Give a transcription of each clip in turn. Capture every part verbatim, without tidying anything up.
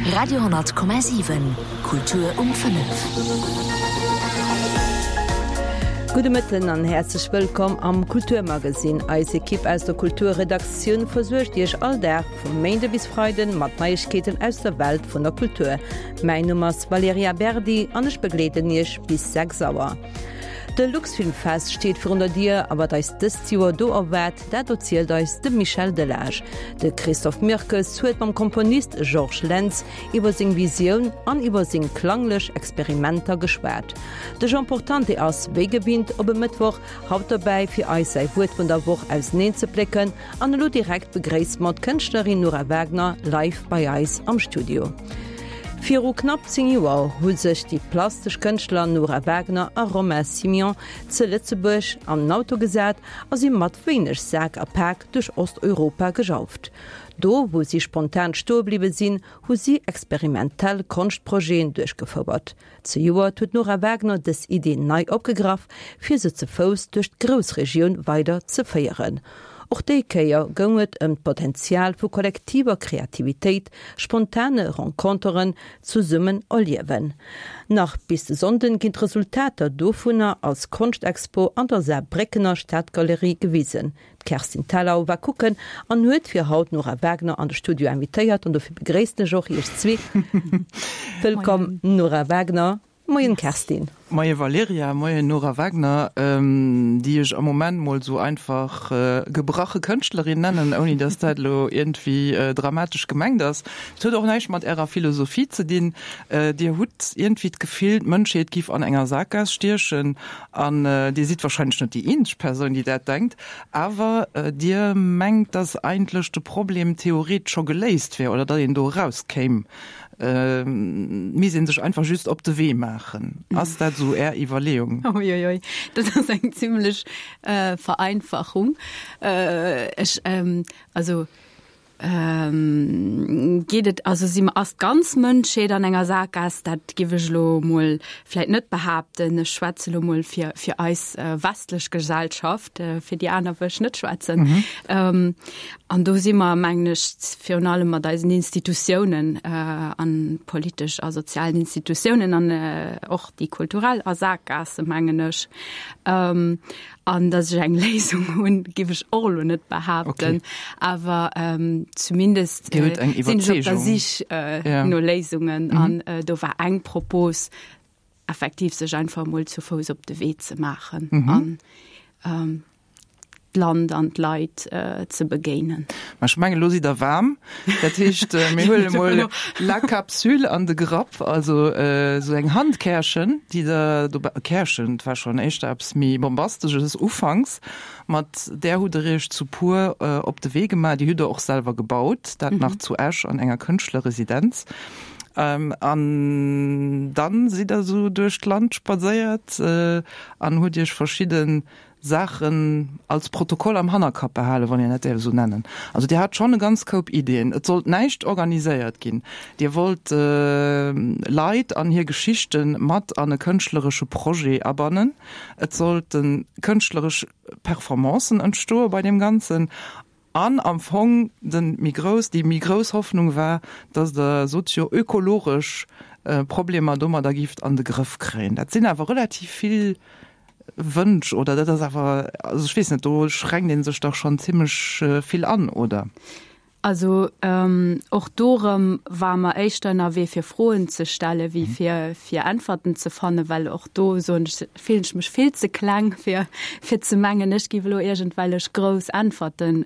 Radio honnert Komma siwen, Kultur um fënnef. Gudde Mëtten an häerzlech wëllkomm am Kulturmagazin. Eis Ekipp aus der Kulturredaktioun versuergt Iech all Dag vum Méinde bis Freiden mat Neiegkeeten aus der Welt vun der Kultur. Mäin Numm ass Valerija Berdi an ech begleeden Iech bis sechs Auer. De Luxfilmfest steet virun der Dier a wat eis dëst Joer do erwaart, dat erzielt eis de Michel Delage. De Christophe Mirkes huet mam Komponist Georges Lentz iwwer seng Visioun an iwwer seng klanglech Experimenter geschwat. De Jean Portante ass, wéi gewinnt op e Mëttwoch, haut dobäi fir eis säi Wuert vun der Woch auseneen ze plécken. An elo direkt begréisst mer d'Kënschtlerin Nora Wagner live bei eis am Studio. Viru knapp zéng Joer hu sech déi plastesch Kënschtler Nora Wagner a Romain Simian ze Lëtzebuerg an den Auto gesat a si mat wéineg Sak a Pak duerch Osteuropa gejauft. Do, wou si spontan stoe bliwwe sinn, hu si experimentell Konschtprojeten duerchgefouert. Zejoert huet d'Nora Wagner dës Idee nei opgegraff, fir se ze Fouss duerch d'Groussregioun weider ze féieren. Och déi Kéier goung et ëm d'Potenzial vu kollektiver Kreativitéit, spontane Renconteren, zesummen erliewen. Nach bis de Sonnden ginn d'Resultater dovunner als Konschtexpo an der Saarbréckener Stadgalerie gewisen. D'Kerstin Thalau war kucken an huet fir haut d'Nora Wagner an de Studio invitéiert an dofir begréissen ech och iech zwee. Wëllkomm Nora Wagner. Moien Kerstin. Moie Valerija, moien Nora Wagner, déi ech am Moment mol sou einfach gebrache Kënschtlerin nennen, ouni dass dat elo iergendwéi dramatesch gemengt ass. Et huet och näischt mat Ärer Philosophie ze dinn. Dir hutt iergendwéi d'Gefill, d'Mënschheet giff an enger Sakgaass stiechen an Dir sidd wahrscheinlech net déi eenzeg Persoun, déi dat denkt, awer Dir mengt, dass eigentlech de Problem theoretesch scho geléist wär oder datt een do erauskéim. Misst een sech einfach just op de Wee maachen. Ass dat esou Är Iwwerleeung? Uiuiui, dat ass eng zimlech Vereinfachung. Ech, also geet et, also si mer, ass d'ganz Mënschheet an enger Sakgaass? Dat giff ech elo mol vläit net behaapten. Ech schwätze elo mol fir, fir eis westlech Gesellschaft, fir déi aner wëll ech net schwätzen. An do si mer, mengen ech, virun allem mat eisen Institutiounen an politesch a sozialen Institutiounen an och déi kulturell a Sakgaasse, mengen ech. An datt ech eng Léisung hunn, géif ech och elo net behaapten. Awer zumindest sinn ech op der Sich no Léisungen. An do war eng Propos, effektiv sech einfach emol zu Fouss op de Wee ze maachen an d'Land an d'Leit ze begéinen. Ma ech mengen, elo sidd Der waarm. Dat heescht, mir huele mol la Capsule an de Grapp, also esou eng Handkärchen, déi Der dobäi, Kärchen, dat war schonn éischter eppes méi Bombasteges ufanks, mat där hutt Der Iech zu puer op de Wee gemaach. Déi hutt Der och selwer gebaut, dat nach zu Esch an enger Kënschtlerresidenz. An dann sidd Der esou duerch d'Land spadséiert an hutt Iech verschidde Saachen als Protokoll am Hannerkapp behalen, wann een dat däerf esou nennen. Also Dir hat schonn e ganz Koup Ideeën. Et sollt näischt organiséiert ginn. Dir wollt Leit an hir Geschichte mat an e kënschtleresche Projet abannen. Et sollte kënschtleresch Performancen entstoe bei deem Ganzen. An am Fong de méi grouss, déi méi grouss Hoffnung war, datt Der sozio-ökologesch Problemer domadder gift an de Grëff kréien. Dat sinn awer relativ vill Wënsch, oder? Dat ass awer, also ech weess net, do schränkt ee sech dach schonn zimmlech vill an, oder? Also och do erëm ware mer éischter ënnerwee fir Froen ze stelle wéi fir fir Äntwerten ze fannen, well och do soen ech, fillen ech mech vill ze kleng fir fir ze mengen, ech géif elo iergendwellech grouss Äntwerten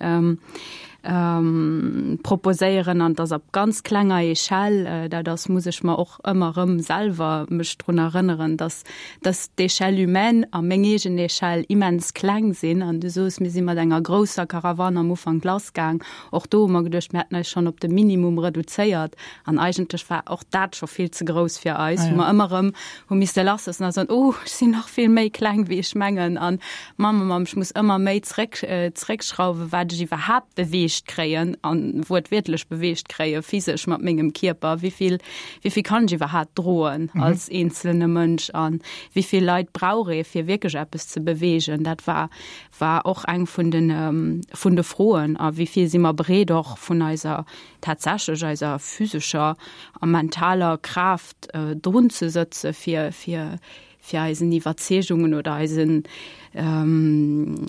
proposéieren. An et ass op ganz klenger Echelle, dat ass, muss ech mer och ëmmer erëm selwer mech drun erënneren, dass dass d'Échelle humaine a meng eegen Échelle immens kleng sinn. An du soos, mir si mat enger grousser Caravane am Ufank lassgaang. Och do hu mer geduecht, mir hätten eis schonn op de Minimum reduzéiert. An eigentlech war och dat scho vill ze grouss fir eis, wou mer ëmmer erëm hu misste lassloossen a soen, Oh, ech sinn nach vill méi kleng, wéi ech mengen. An Mamm, Mamm, ech muss ëmmer méi zréck, zréckschrauwen, wat ech iwwerhaapt beweege beweegt kréien an wuertwiertlech beweegt kréie physesch mat mengem Kierper, wéi vill wéi vill kann ech iwwerhaapt droen als eenzelne Mënsch an wéi vill Leit brauch ee fir wierklech eppes ze beweegen. Dat war war och eng vun den vun de Froen a wéi vill si mer bereet och vun eiser tatsächlech eiser physescher a mentaler Kraaft drun ze sëtze fir fir fir eisen Iwwerzeegungen oder eisen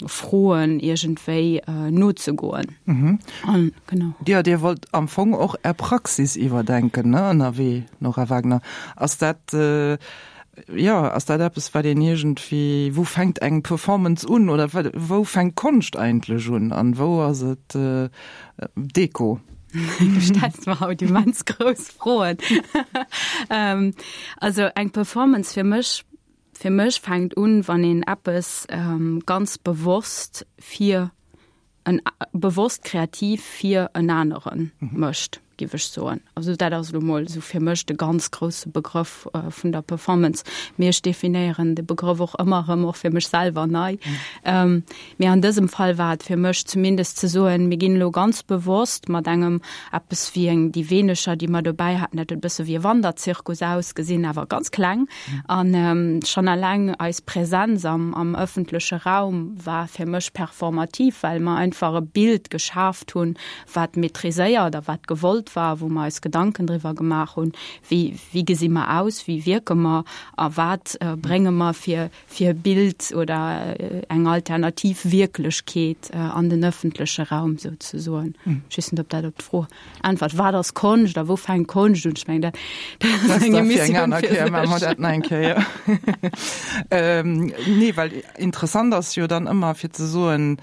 Froen iergendwéi nozegoen. An genau. Jo, Dir wollt am Fong och Är Praxis iwwerdenken, ne, ënnerwee, Nora Wagner. Ass dat, jo, ass dat eppes, wat een iergendwéi, wou fänkt eng Performance un oder wou fänkt Konscht eigentlech un an wou ass et Deko? Du stells mer haut immens grouss Froen. Also eng Performance fir mech, fir mech fänkt un, wann een eppes ganz bewosst fir en, bewosst kreativ fir en anere mécht, géif ech soen. Also dat ass elo mol esou fir mech de ganz grousse Begrëff vun der Performance. Mee ech definéieren de Begrëff och ëmmer erëm och fir mech selwer nei. Mee an dësem Fall war et fir mech zumindest ze soen, mir ginn elo ganz bewosst mat engem eppes wéi eng, déi wéineger, déi mer dobäi haten, dat huet e bësse wéi e Wanderzirkus ausgesinn, awer ganz kleng. An schonn eleng eis Präsenz am, am ëffentleche Raum war fir mech performativ, well mer einfach e Bild geschaaft hunn, wat maîtriséiert a wat gewollt war, wou mer eis Gedanken driwwer gemaach hunn, wéi, wéi gesi mer aus, wéi wierke mer a wat brénge mer fir, fir e Bild oder eng alternativ Wierklechkeet an den ëffentleche Raum souzesoen. Ech weess net, ob dat op d'Fro äntwert. Wat ass Konscht a wou fänkt Konscht un? Ech mengen, dat ass eng Emissioun fir sech. Maache mer dat nach eng Kéier. Nee, well interessant ass jo dann ëmmer fir ze soen,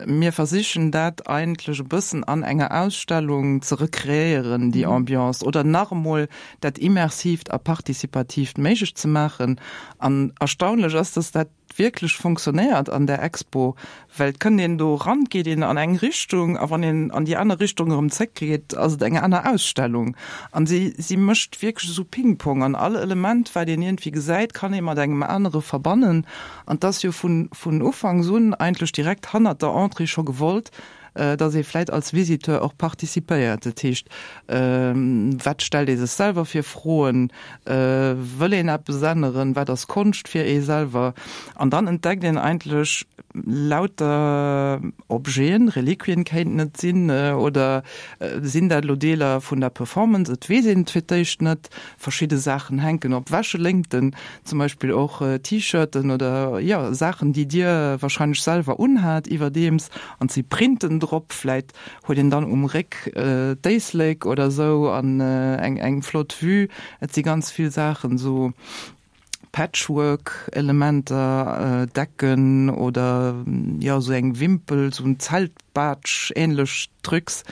mir versichen dat eigentlech e bëssen an enger Ausstellung ze rekreéieren, déi Ambiance, oder nach emol dat Immersiivt a Participatiivt méiglech ze maachen. An erstaunlech ass, dass dat wierklech fonctionnéiert an där Expo, well et kënnt een do eran, et geet een an eng Richtung a wann een an déi aner Richtung erëm zréckgeet, ass et eng aner Ausstellung. An si, si mécht wierklech esou Ping-Pong an all Element, wat een iergendwéi gesäit, kann ee mat engem anere verbannen. An 't ass jo vun, vun ufanks un eigentlech direkt hannert der Entrée scho gewollt, dass ee vläit als Visiteur och participéiert. Dat heescht, wat stellt ee sech selwer fir Froen? Wëll een eppes änneren? Wat ass Konscht fir ee selwer? An dann entdeckt een eigentlech lauter Objeten, Reliquien kéinten et sinn, oder sinn dat elo Deeler vun der Performance? Et weess een et fir d'éischt net. Verschidde Saachen hänken op Wäscheléngten, zum Beispill och T-Shirten oder, jo, Saachen, déi Dir warscheinlech selwer unhat iwwerdeems, an et si Printen drop. Vläit huet een dann um Réck d'Éislek oder esou an eng eng flott Vue. Et si ganz vill Saachen, esou Patchwork-Elementer, Decken oder, jo, esou eng Wimpel, esou en Zeltbaatsch ähnlech Trucs.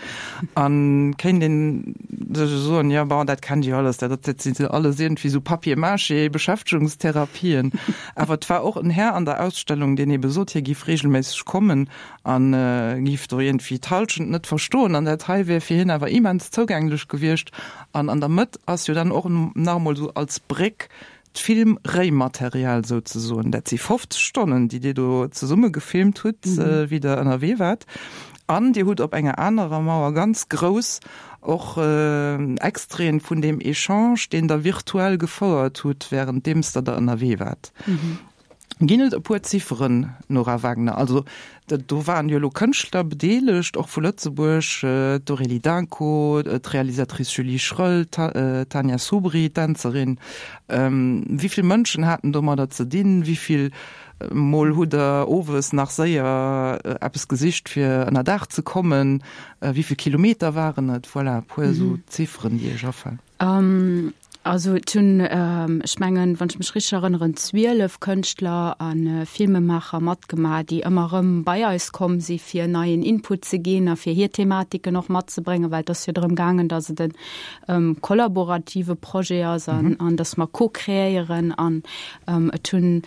An kéint een sech soen, jo, bon, dat kennt Dir jo alles, dat dat sinn alles iergendwéi esou Papier-mâché-Beschäftegungstherapien. Awer et war och en Här an der Ausstellung, deen ebe sot, hie giff regelméisseg kommen an giff do iergendwéi d'Hallschent net verstoen an dat hei wär fir hien awer immens zougänglech gewiescht. An an der Mëtt ass jo dann och nach emol esou als Bréck d'Film-Réimaterial souzesoen. Dat si fofzeg Stonnen, déi Dir do zesumme gefilmt hutt, wéi Der ënnerwee waart. An Dir hutt op enger anerer Mauer ganz grouss och Extraiten vun deem Echange, deen Der virtuell gefouert hutt, wärenddeems Der da ënnerwee waart. Ginn et e puer Zifferen, Nora Wagner? Also do waren jo elo Kënschtler bedeelegt, och vu Lëtzebuerg, d'Aurélie Dunco, d'Realisatrice Julie Schröll, d'Tania Soubry, d'Dänzerin. Wéi vill Mënschen haten domadder ze dinn? Wéi vill Mol hutt Der owes nach séier eppes gesicht, fir ënnerdaach ze kommen? Wéi vill Kilometer waren et? Voilà, e puer esou Zifferen, déi Iech afalen. Also et hunn, ech mengen, wann ech mech richteg erënneren, zwielef Kënschtler a Filmemaacher matgemaach, déi ëmmer erëm bei eis komm si fir neien Input ze ginn a fir hir Thematiken och matzebréngen, well et ass jo drëm gaangen, datt et e kollaborative Projet ass an, an datt mer co-kreéieren. An et hunn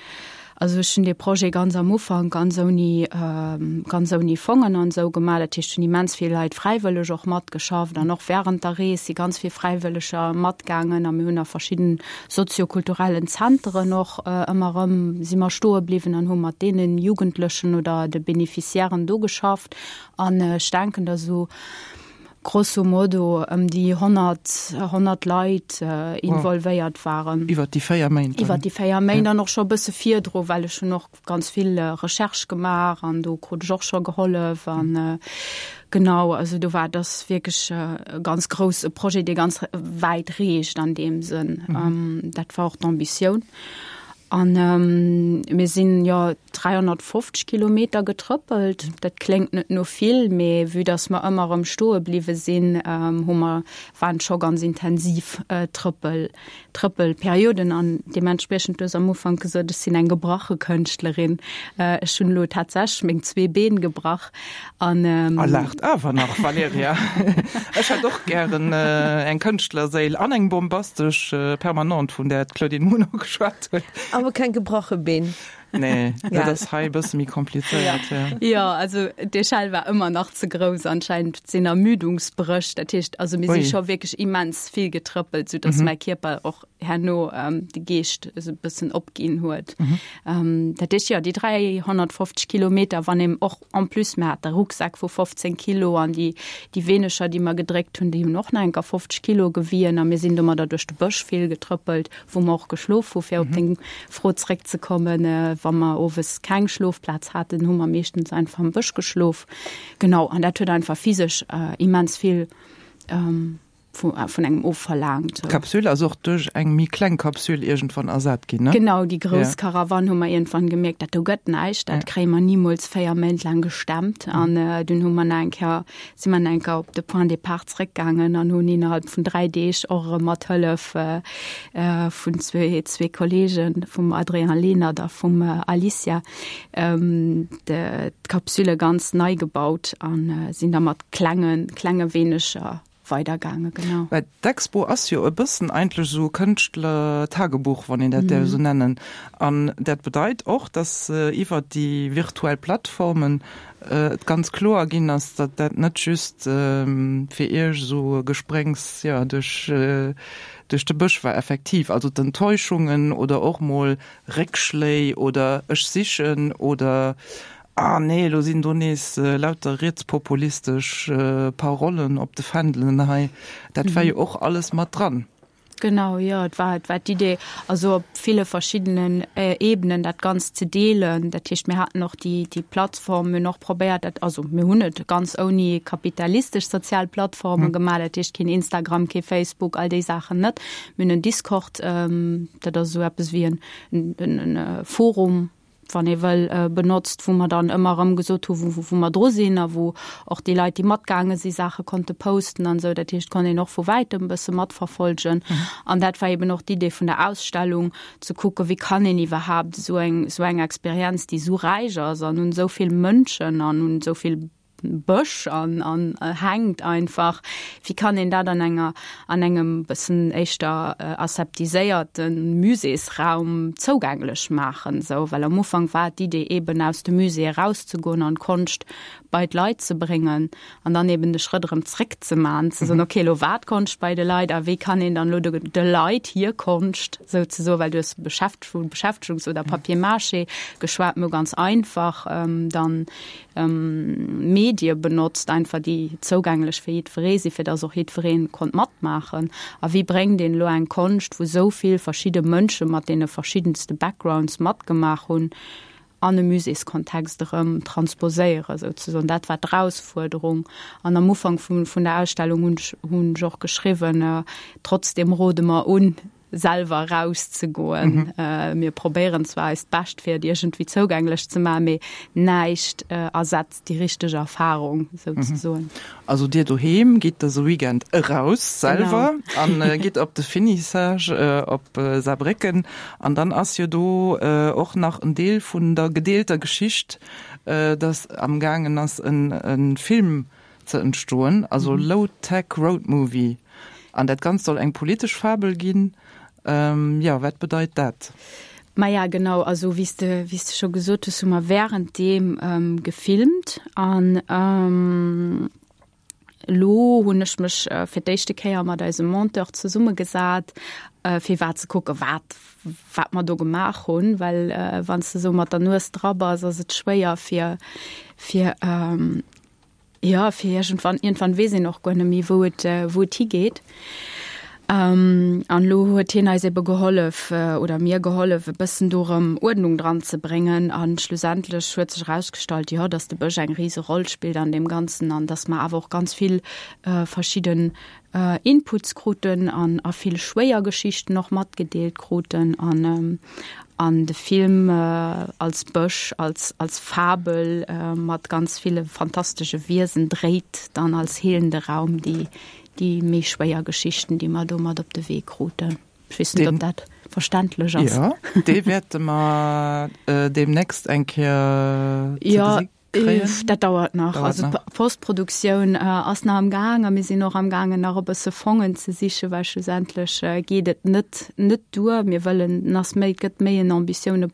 Also ech hunn dee Projet ganz am Ufank ganz ouni, ganz ouni Fongen an esou gemaach. Dat heescht, hunn immens vill Leit fräiwëlleg och matgeschafft an och während der Rees si ganz vill Fräiwëlleger matgaangen a mir hunn a verschidden soziokulturellen Zenteren och ëmmer erëm si mer stoe bliwwen an hu mat deene Jugendlechen oder de Beneficiairen do geschafft. An ech denken, datt esou grosso modo ëm déi honnert, honnert Leit involvéiert waren. Iwwert déi véier Méint dann? Iwwert déi véier Méint an och scho e bësse virdru, well ech hunn och ganz vill Recherche gemaach an do krut ech och scho gehollef an genau, also do war, dat ass wierklech e ganz grouss e Projet, dee ganz wäit reecht an deem Sënn. Dat war och d'Ambitioun. An mir sinn, jo, dräihonnertfofzeg Kilometer getrëppelt. Dat kléngt net no vill, mee vue dass mer ëmmer erëm stoe bliwwe sinn, hu mer, waren et scho ganz intensiv Trëppel, Trëppelperioden. An deementspriechend, du hues am Ufank gesot, ech sinn eng gebrache Kënschtlerin. Ech hunn elo tatsächlech meng zwee Been gebrach. An. A laacht awer nach, Valerija. Ech hätt och gären eng Kënschtlerséil an eng bombastesch Permanente, vun där d'Claudine Muno geschwat huet. Awer keng gebrache Been. Nee, dat ass hei e bësse méi komplizéiert. Ja. Jo, also d'Echelle war ëmmer nach ze grouss anscheinend, et sinn Ermüdungsbréch. Dat heescht, also mir si scho wierklech immens vill getrëppelt, soudass mäi Kierper och herno de Geescht esou e bëssen opginn huet. Dat heescht, jo, déi dräihonnertfofzeg Kilometer, wann een och en plus, mir hate Rucksäck vu fofzéng Kilo an déi, déi wéineger, déi mer gedréckt hunn, déi hunn och nach eng Kéier fofzeg Kilo gewien a mir sinn domadder duerch de Bësch vill getrëppelt, wou mer och geschlof hu fir op deng Fro zréckzekommen. Wa mer owes keng Schlofplaz haten, hu mer meeschtens einfach am Bësch geschlof. Genau, an dat huet einfach physesch immens vill vun engem ofverlaangt. D'Kapsül ass och duerch eng méi kleng Kapsül iergendwann ersat ginn, ne? Genau, déi grouss Karawann hu mer iergendwann gemierkt, dat do gëtt näischt, dat kréie mer nimools véier Méint laang gestemmt. An dunn hu mer nach eng Kéier, si mer nach eng Kéier op de Point départ zréckgaangen an hunn innerhalb vun dräi Deeg och erëm mat Hëllef vun zwee, zwee Kollegen, vum Adrien Lenert a vum Alicia, d'Kapsüle ganz nei gebaut a sinn da mat klenge, klenge wéineger weidergaangen, genau. Well d'Expo ass jo e bëssen eigentlech esou e Kënschtler-Tagebuch, wann een dat däerf esou nennen. An dat bedeit och, dass iwwert déi virtuell Plattformen et ganz kloer ginn ass, datt dat net just fir Iech esou e Gespréngs, jo, duerch, duerch de Bësch war effektiv. Also d'Enttäuschungen oder och mol Réckschléi oder ech sichen oder ah nee, elo sinn do nees lauter rietspopulistesch Parollen op de Fändelen hei, dat war jo och alles mat dran. Genau, jo, et war, et war d'Idee, also op ville verschiddenen Ebenen dat Ganzt ze deelen. Dat heescht, mir haten och déi, déi Plattform, mir hunn och probéiert, dat, also mir hunn et ganz ouni kapitalistesch sozial Plattforme gemaach, dat heescht keen Instagram, kee Facebook, all déi Saachen net. Mir hunn en Discord, dat ass esou eppes wéi en, en, en Forum, wann ee wëll, benotzt, wou mer dann ëmmer erëm gesot hu wou mer dru sinn a wou och déi Leit, déi matgaange si Saache konnte posten an esou. Dat heescht, konnt een och vu wäitem e bësse matverfolgen. An dat war eben och d'Idee vun der Ausstellung, ze kucken, wéi kann een iwwerhaapt esou eng, esou eng Experienz, déi esou räich ass an un esou vill Mënschen an un esou vill Bësch an an hänkt einfach. Wéi kann een dat an enger an engem bëssen éischter aseptiséierte Muséesraum zougänglech maachen esou? Well am Ufank war d'Idee eben aus dem Musée erauszegoen an d'Konscht bei d'Leit ze bréngen an dann eben de Schrëtt erëm zréck ze maachen, ze soen, okay, elo war d'Konscht bei de Leit a wéi kann een dann elo de de Leit hir Konscht souzesoen, well du hues Beschäft vu Beschäftegungs oder Papier-mâché geschwat, mir hu ganz einfach dann Medie benotzt, einfach déi zougänglech fir jiddweree sinn, fir dass och jiddweree konnt matmaachen. A wéi bréngt een elo eng Konscht, wou esou vill verschidde Mënsche mat deene verschiddenste Backgrounds matgemaach hunn, an e Muséeskontext erëm transposéieren, souzesoen. Dat war d'Erausfuerderung. An am Ufank vun der Ausstellung hunn ech hunn ech och geschriwwen, Trotzdem rode mer un, selwer erauszegoen. Mir probéieren zwar eist Bescht, fir et iergendwéi zougänglech ze maachen, mee näischt ersetzt déi richteg Erfarung, souzesoen. Also dir doheem gitt dëse Weekend eraus selwer an gitt op de Finissage op Saarbrécken. An dann ass jo do och nach en Deel vun der gedeelter Geschicht, dass amgaangen ass e Film ze entstoen, also Low-Tech Road Movie. An dat Ganzt soll eng politesch Fabel ginn. Jo, wat bedeit dat? Maja genau, also wéi s de wéi s de scho gesot hues, hu mer währenddeem ähm, gefilmt an ähm, lo hunn ech mech äh, fir d'éischte Kéier mat eisem Monteur zesummegesat, äh, fir wat ze kucke wat wat mer do gemaach hunn, well äh, wann s de sou mat der Nues dra bass, ass et schwéier fir fir ähm, ja fir iergendwann iergendwann weess een och guer net méi wou et äh, wou et higeet. Ähm, an lo huet hien eis ebe gehollef äh, oder mir gehollef e bëssen do rëm Uerdnung dran ze bréngen an schlussendlech huet sech erausgestallt, jo, dass de Bësch eng rise Roll spillt an deem Ganzen an dass mer awer och ganz vill äh, verschidden äh, Inputs kruten an a vill schwéier Geschichten och matgedeelt kruten an ähm, an de Film äh, als Bësch, als, als Fabel äh, mat ganz ville fantastesche Wiesen dréit dann als heelende Raum déi déi méi schwéier Geschichten, déi mer do mat op de Wee kruten. Ech weess net, ob dat verständlech ass. Jo, dee wäerte mer äh, deemnächst eng Kéier ze Ja, gesi kréien. dat dauert nach. Dauert Also nach. d'Postproduktioun äh, ass nach am Gaang a mir sinn och am Gaangen nach e bësse Fongen ze sichen, well schlussendlech äh, geet et net net duer. Mir wëllen en ass méi et gëtt méi en Ambitioune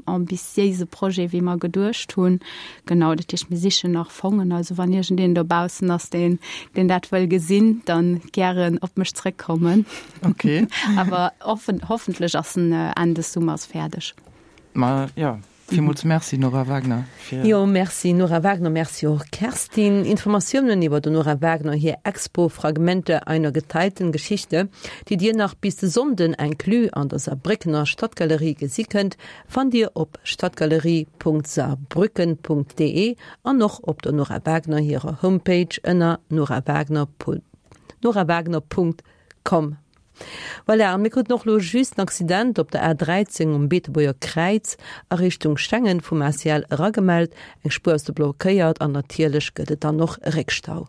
ambitiéise Projet wéi mer geduecht hunn. Genau, dat heescht mir sichen nach Fongen. Also wann iergendeen dobaussen ass, deen deen dat wëll gesinn, dann gären op mech zréckkommen. Okay. Awer offen hoffentlech ass en äh, Enn des Summers fäerdeg. Ma ja, villmools Merci Nora Wagner fir Jo, Merci Nora Wagner, Merci och Kerstin. Informatiounen iwwer der Nora Wagner hir Expo Fragmente einer geteilten Geschichte, déi Dir nach bis de Sonnden inclus an der Saarbréckener Stadtgalerie gesi kënnt, fannt Dir op stadtgalerie.saarbrücken.de an och op der Nora Wagner hirer Homepage ënner norawagner. norawagner.com. Voilà, a mir kruten och lo just en Accident op der A dräizéng um Beetebuerger Kräiz a Richtung Schengen vum A C L eragemellt. Eng Spuer ass do blockéiert an natierlech gëtt et dann och Réckstau.